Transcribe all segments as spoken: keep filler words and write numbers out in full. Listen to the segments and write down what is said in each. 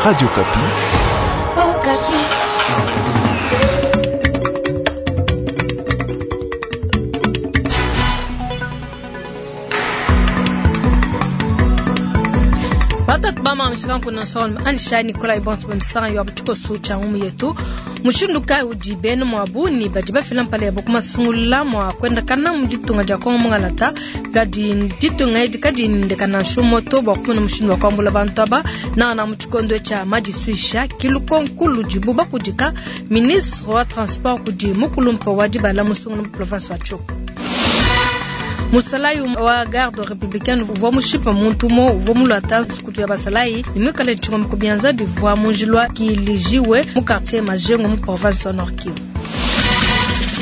Radio Okapi. Oh, Okapi. Batatu bamamishika kuna sol anisha Nikolai Bonso bemsanga yo abuchiko cha ngumu yetu mushindu kai udi bene mwabu ni badi bafila mpala yabo kumasungula mwa kwenda kana muditunga dia Kongo mungalata gadi ditunga edi kadi ndekana nshumoto bwa kumuna mushindu wa kwambula bantu aba na na muchikondo cha madisuisha kilukonkulu dibu bakudika ministre wa transport kudi mukulumpa wa dibala musungula mu province wa Tshopo. Musalayi wa garde républicaine uvua mushipa muntu mo uvua mulata nsukutu ya basalayi nimwikale tshingoma ku bianza bivua munjilwa kilijiwe mu quartier Majengo mu province wa Nord Kivu.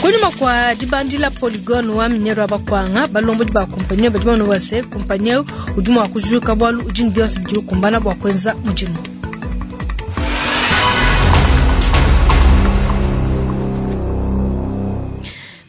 Kunyuma kwa dibandila polygone wa minero ya bakwanga balombodi ba kompanyi badi bamona base kompanyi udi mua kujuka bwalu udi ne bionso bidi bikumbana bua kuenza mudimu.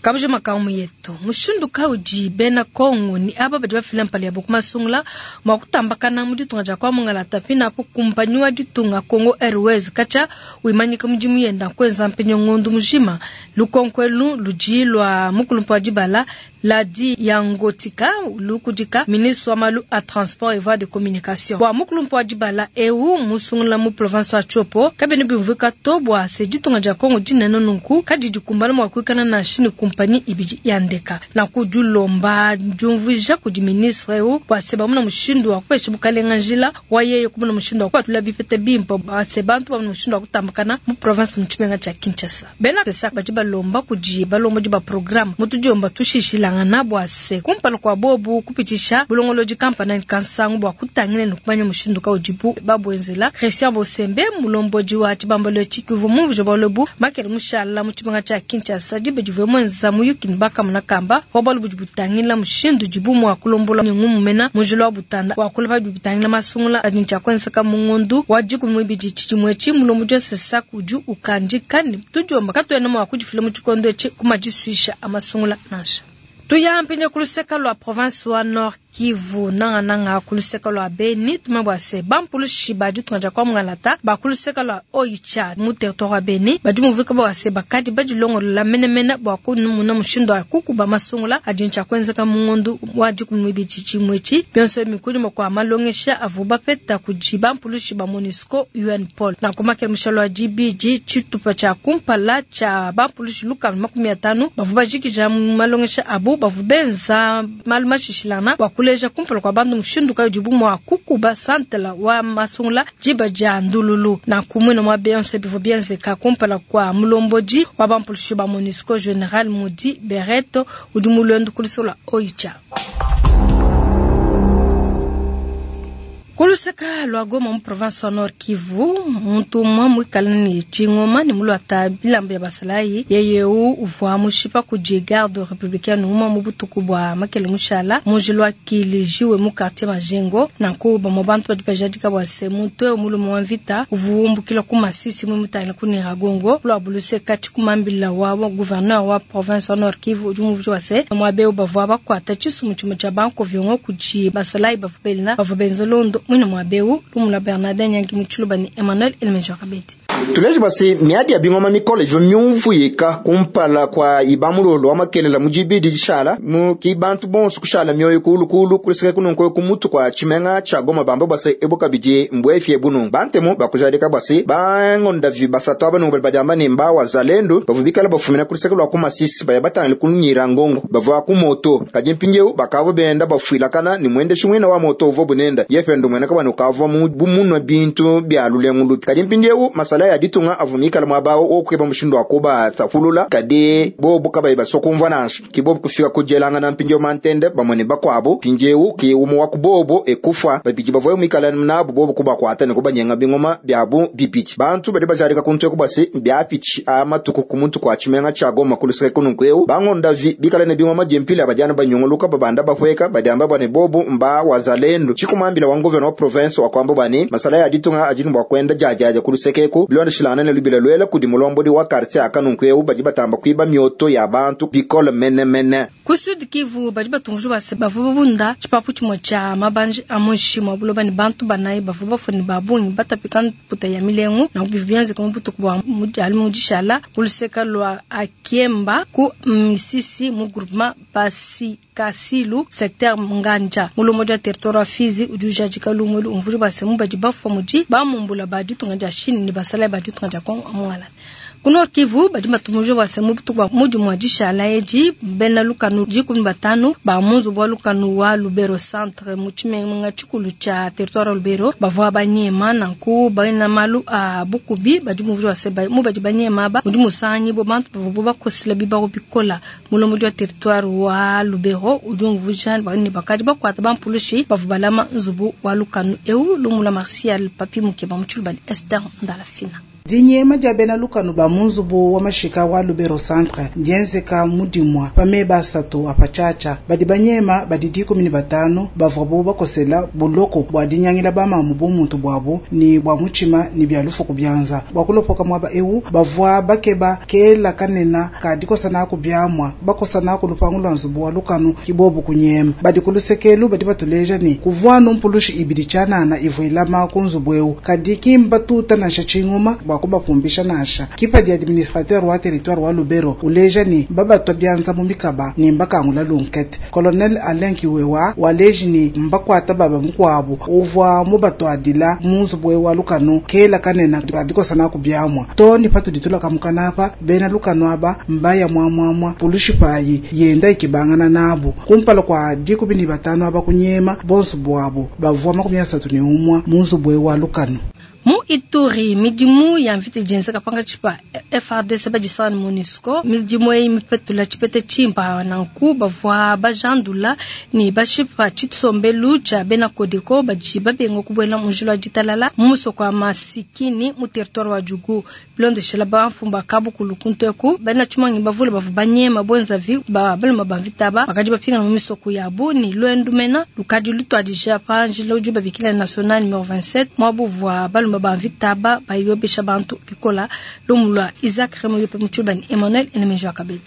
Kabuja makamu yetu mushindu kaudi bena Kongo ni aba badi bafila mpala yabo kumasungula mwa kutambakana mu ditunga dia kwa mungalata pina apo kumpanyi wa ditunga Congo Airways kacha wimanyika mudimu yenda kwenza mpenyo ngondu mujima lukonkwelu ludi lwa mukulumpa wa dibala ladi yangotika lukudika ministre wa malu a transport et voies de communication bwa mukulumpa wa dibala eu musungula mu province wa Tshopo kabene bimvuka to bwa se ditunga dia Kongo dinene nunku kadi dikumbana mwa kuikana na shini kumpanyi ibidi yandeka na kudulomba diumvuija kudi ministre eu bwa se bamuna mushindu wa kupesha bukalenga njila wa yeye kumuna mushindu wa kupatula bipete bimpe bwa se bantu bamuna mushindu wa kutambakana mu province mu tshimenga tshia Kinshasa bena sesa badi balomba kudi balombodi ba programme mutudiomba tushishilangana bwa se kumpala kwa bobu kupitisha bulongolodi kampani kansangu bwa kutangila ne kumanya mushindu kaudibu babwenzela Christian Bosembe mulombodi wa tshibambalo tshikivu mumvuja bwalobu makele mushala mu tshimenga tshia Kinshasa dibe divue mwenza muyuki ne bakamuna kamba wa bwalu budi butangila mushindu dibu mua kulombola ne ngumumena mujilo wa butanda wa kulapa bidi bitangila masungula adi ntshia kuenzeka mu ngondu wa dikumi muibidi tshidimue etshi mulombodi wa sesa kudi ukandika ne tudiomba katuena mua kudifila mu tshikondo etshi kumadisuisha a masungula nansha. Tuya mpindieu kuluseka lua province wa Nord Kivu nangananga kuluseka lua Beni tumabwa se bampulushi ba ditunga dia kwa mungalata ba kuluseka lua Oicha mu territoire wa Beni badi muvika bwa se bakadi badilongolola menemene bwa kunumuna mushindu wa kukuba masungula adi ntshia kuenzeka mu ngondu wa dikumi muibidi tshimue etshi bionso mikudima kwa malongesha avu bapeta kudi bampulushi ba MONUSCO UNPOL na kumakela mushalo wa dibidi tshitupa tshia kumpala tshia bampulushi lukama makumi atanu bavu bajikija mu malongesha abu bavu benza malu mashishilana bwa kuleja kumpala kwa bantu mushindu kayo dibu mua kukuba santela wa masungula diba dia ndululu na kumwina mwa bionso bivua bienzeka kumpala kwa mulombodi wa bampulushi ba MONUSCO General Mudi Bereto udi mulwendu kulisola Oicha. Kuluseka lwa Goma mu province wa Nord Kivu muntu umwe mwikala ni tshingoma ni mulwata bilamba ya basalayi yeyeu uvua mushipa kudi garde républicaine uma mu butuku bwa makele mushala mujilwa kilijiwe mu quartier Majengo nanku bamwe bantu badi bajadika bwa se muntu eu mulume wa mvita uvuumbukila ku Masisi mwe mutangila ku Nyiragongo lwa buluseka tshikumambila wa gouverneur wa province wa Nord Kivu udi muvuji wa se mwabeu bavua bakuata tshisumu tshimue tshia banko viongo kudi basalayi bavua belina bavua benza londo mwina mwabeu lumula Bernardin Nyangi Mutshiluba ni Emmanuel Elmejo Kabedi. Tuleje basi miadi ya bingoma mikole ivyo myumvuyika kumpala kwa ibamulolo wa makelela mujibidi dishala mu ki bantu bonso kushala mioyo kulukulu kuliseka kununko kumutu kwa tshimenga tsha Goma bamba basi ebo kabidi mbwefye bunu bantemu bakujalika basi bangonda vi basatu abanu bali badiamba ne mba wazalendo bavubikala bafumina kuliseka lwa kumasisi baya batangile kunyira ngongo bavua ku moto kadi mpindieu bakavua benda bafuilakana ni mwendeshi mwina wa moto uvo bunenda yefendo mwena kabana ukavua mu bumunwa bintu bya lulengu kadi mpindieu masala ya ditunga avumikala mwabawo okweba mushindu wakuba safulula kadi bobu kabayi basokumva nansha kibobu kufika kujelangana mpindieu mantende bamwe ne bakuabu mpindieu ki umu wa kubobo ekufa babidi bavoye mwikala nabu bobu kubakwata ne kubanyenga bingoma byabu bibidi bantu badi bajarika kuntu ekubasi byapichi amatuku kumuntu kwa tshimenga tsha Goma kuluseka kununku eu bangonda vi bikala ne bingoma diempila badiana banyunguluka babanda bahweka badiamba bwane bobu mba wazalendo tshikumambila wa gouverneur wa province wakwamba bwani masala ya ditunga ajini bwa kwenda jajaja kulusekeku Bilondeshilangana ne lubila lwela kudi mulombodi wa quartier aka nunku eu badi batamba kuiba mioto ya bantu bikole menemene. Ku Sud Kivu badi batunguju base bavua babunda tshipapu tshimue tshia mabanji a muinshi mua buloba ne bantu banayi bavua bafue ne ba bungi batapika mputa ya milengu na bivua bienzeka mu butuku bua mu dishala ku luseka lua Akiemba ku Misisi mu groupement Basi Kasilu secteur Nganja mulombodi wa territoire wa Fizi udi ujadika lumu elu umvuija base mu badi bafua mudi bamumbula ba ditunga dia Chine ne basalayi ba ditunga dia Kongo amuala. Ku Nord Kivu badi batumuje base mu butuku bua mudi mua dishala edi bena lukanu dikumi batanu ba mu nzubu wa lukanu wa Lubero centre mu tshimenga tshikulu tshia territoire wa Lubero bavua banyema nanku bena malu a bukubi badi muvuje base mu badi banyema ba mudi musanyi bo bantu bavua bakosela bibawo bikola mulombodi wa territoire wa Lubero udi umvuja ne bakadi bakuata bampulushi bavua balama nzubu wa lukanu eu lumula Martial Papi Mukeba mu tshiluba Esther Ndalafina. Dinyema dia bena lukanu ba mu nzubu wa mashika wa Lubero centre ndienzeka mudimwa pa basatu apachacha badi banyema badi dikumi ne batanu bavua bo bakosela buloko bua dinyangila bamamu bumuntu bwabo ni bwa muchima ni bya lufu kubyanza bwa kulopoka mwaba eu bavua bakeba kela kanena kadikosana ku byamwa bakosana ku lupangu lwa nzubu wa lukanu kibobu kunyema badi kulusekelu badi batuleja ni kuvua numpulushi ibidi chanana ivuilama ku nzubu eu kadi kimba tuta na shachingoma kubapumbisha nasha kipa di administrateur wa territoire wa Lubero uleja ni mbabatwa byanza mu mikaba ni mbakangula lunkete colonel Alain Kiwewa waleji ni mbakwata baba mukwabu uvwa mubatwadila mu nzubu wa lukanu kela kanena adikosana kubyamwa to ni patu ditula kamukanapa bena lukanu aba mbaya mwamwamwa pulushi payi yenda ikibangana nabo kumpala kwa dikumi ni batano aba kunyema bonso bwabo bavwa makumi asatu ni umwa mu nzubu wa lukanu. Mu Ituri midimu ya mvita jenzeka panga chipa F R D C bajisana MONUSCO midimu eyi mipetula chipete chimpa nanku bavua bajandula ni bashipa chitsombelu cha bena Kodeko baji babenga kubwela munjilo wa ditalala mu musoko wa masikini mu territoire wa Djugu bilondeshela bamfumba kabukulu kunteku bena tshimangi bavule bavua banyema bwenzavi ba baluma ba mvita ba bakadi bapingana mu misoko yabu ni lwendu mena lukadi lutwadija pa njila udi babikila national numéro vingt-sept mwabuvua baluma ba mvita ba bayobesha bantu bikola lumulwa Isaac Remoyo pe mutshubani Emmanuel Enemejo akabedi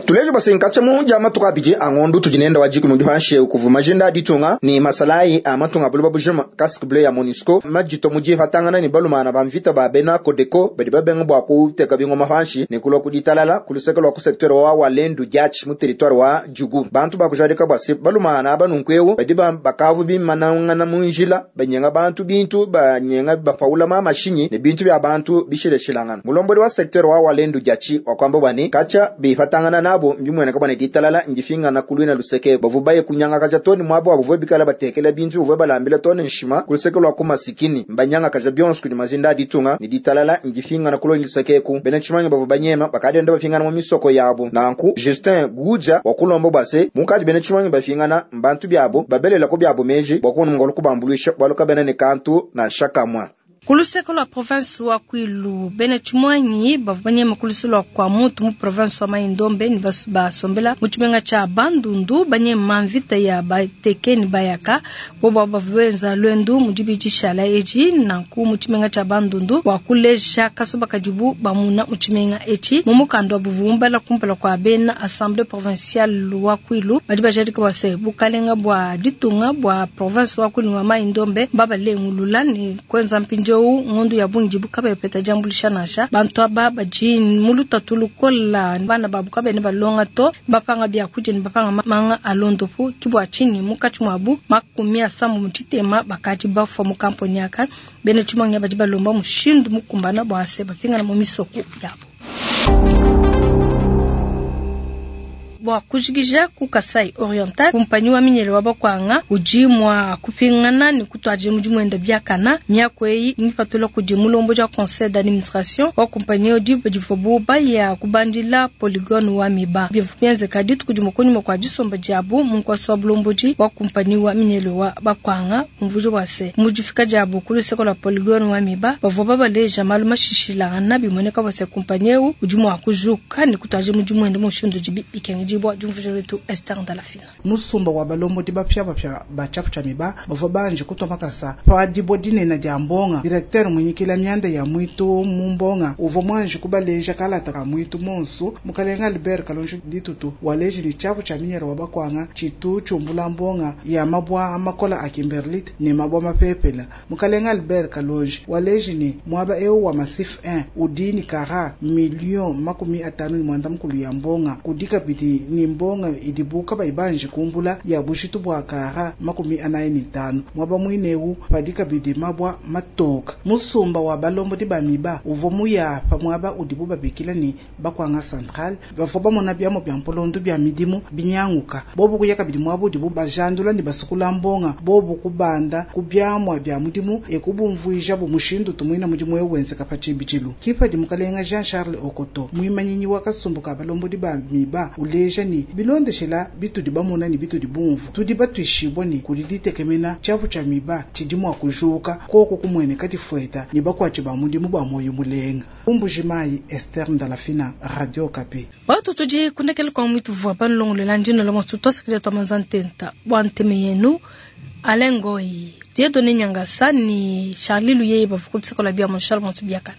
tulejo basenkacha mu jama tukabiji angondu tujinenda wajiku mu dihanshe ukuvuma jinda ditunga ni masalai amatunga buluba bujuma casque bleu ya MONUSCO majito muji hatangana ni balumana ba mvita ba bena Kodeko badi babenga bwa kuteka bingoma hanshi ni kulwa kuditalala kuluseka lwa ku secteur wa Walendu Diachi mu territoire wa Djugu bantu bakujarika bwasi balumana abanunkwewo badi bakavu bimanangana mu njila banyenga bantu bintu banyenga bapaula mama shinyi ne bintu bya bantu bishileshilangana mulombodi wa secteur wa Walendu Diachi wakwamba bwani kacha bifatangana nabo mbimwene kabana ditalala njifingana kulwina luseke bavubaye kunyanga kaja toni mwabo abuvuye bikala batekela bintu buvuye balambila toni nshima kuluseke lwa kumasikini mbanyanga kaja byonse kuli mazinda ditunga ni ditalala njifingana kulwina luseke ku bene chimanya bavu banyema bakadenda bafingana mu misoko yabo nanku Justin Guja wakulombo base mukaji bene chimanya bafingana mbantu byabo babelela ko byabo meji bakunu ngolo kubambulisha baluka bene ne kantu na shakamwa. Kuluseko lwa province wa Kwilu bene chimwanyi bavanyema kulusu lwa kwa mutu mu province wa Maindombe ni basombela mu chimenga cha Bandundu banyema mvita ya bateke ni bayaka bobo bavuenza lwendu mu dibijishala eji nanku mu chimenga cha Bandundu wa kuleja kasoba kajibu bamuna mu chimenga echi mu mukando wa buvumbala kumpala kwa bena assemblée provinciale wa Kwilu badi bajadika base bukalenga bwa ditunga bwa province wa Kwilu wa Maindombe babalengulula ni kwenza mpinjo ngondu ya bungi bukabe peta jambulisha nasha bantu aba baji muluta tulukola bana babu kabe ne balonga to bapanga bya kuje ne bapanga manga alondopu kibwa chini mukachi mwabu makumi asambu mutitema bakaji bafwa mu kamponi aka bene chimanya baji balomba mushindu mukumbana bwase bapingana mu misoko yabo. Bwa kujigija ku Kasai Oriental kumpanyi wa minyele wa bakwanga uji mwa kupingana ni kutwaje muji mwenda byakana myako eyi nipatula kudi mulombo ja conseil d'administration wa kumpanyi odi badifobu baya kubandila polygone wa miba byenze kadi tukudi mukonyi kwa disomba jabu munkwasi wa bulomboji wa kumpanyi wa minyele wa bakwanga mvujo wase mujifika jabu kuluseko la polygone wa miba bavua babaleja malu mashishilana bimoneka wase kumpanyi uji mwa kujuka ni kutwaje muji mwenda mushindu jibi bikengi. kufundibwa diumvuija letu Esther Ndalafina. Musumba wa balombodi bapya ba tshiapu tshia miba bavua banji kutua makasa pa dibua dinene dia mbonga. Directeur munyikila mianda ya mwitu mu mbonga uvua mwanji kubaleja kalata ka mwitu monsu. Mukalenga Albert Kalonji Ditutu waleji ni tshiapu tshia minyere wa bakwanga tshitu tshumbula mbonga ya mabwa amakola a Kimberlite ne mabwa mapepela. Mukalenga Albert Kalonji waleji ni mwaba eu wa Massif un udi ni kara million makumi atanu ni mwanda mukulu ya mbonga kudika bidi ni mbonga idibuka baibanje kumbula ya bushitu bwa kara makumi anayi ni tanu mwaba mwineu padika bidi mabwa matoka. Musumba wa balombo di bamiba uvo muya pa mwaba udibu babikila ni bakwanga central bavua bamona byamo bya mpolondo bya midimu binyanguka bobu kuyaka bidi mwaba udibu bajandula ni basukula mbonga bobu kubanda kubyamwa bya mudimu ekubumvuija bu mushindu tumwina mudimu eu wenzeka pa tshibidilu. Kipa di mukalenga Jean Charles Okoto mwimanyinyi wa kasumbu ka balombodi ba miba uleja ni bilondeshela bitudi bamona ni bitudi bumvu tudi batwishibwa ni kudi ditekemena tshiapu tshia miba tshidi mua kujuka koko kumweneka difueta ni bakwatshi ba mudimu ba moyo mulenga. Umbujimayi Esther Ndalafina, Radio Okapi. Batu tudi kundekela kwa mwitu vua panulongolela ndino la mosu tosikile twa manzantenta bwa nteme yenu Alain Goyi, Dieudonné Nyangasa ni Charlie Luyeye bavukutisikola bia Monchal Montu Biakana.